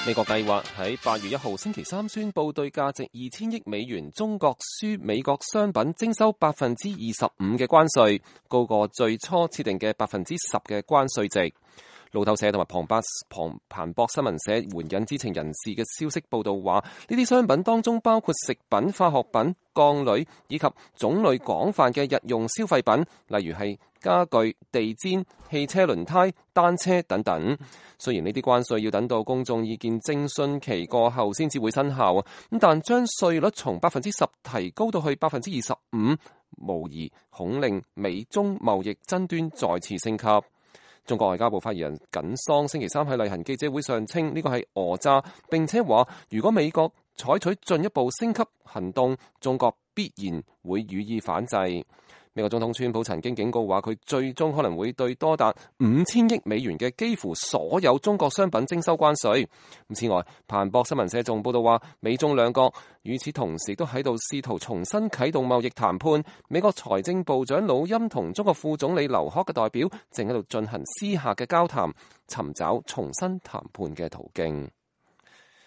美國計劃喺8月1號星期三宣佈對價值2000億美元中國輸美國商品徵收25%嘅關稅，高過最初設定嘅10%嘅關稅值。路透社同埋彭博新聞社援引知情人士嘅消息報道話，呢啲商品當中包括食品、化學品、鋼鋁以及種類廣泛嘅日用消費品，例如係家具、地氈、汽車輪胎、單車等等。雖然呢啲關稅要等到公眾意見徵詢期過後先至會生效，咁但將稅率從10%提高到去25%，無疑恐令美中貿易爭端再次升級。中國外交部發言人耿爽星期三喺例行記者會上稱呢個係訛詐，並且話如果美國採取進一步升級行動，中國必然會予以反制。美國總統川普曾經警告話，佢最終可能會對多達5000億美元嘅幾乎所有中國商品徵收關稅。此外，彭博新聞社仲報道話，美中兩國與此同時都喺度試圖重新啟動貿易談判。美國財政部長魯欽同中國副總理劉鶴嘅代表正喺度進行私下嘅交談，尋找重新談判嘅途徑。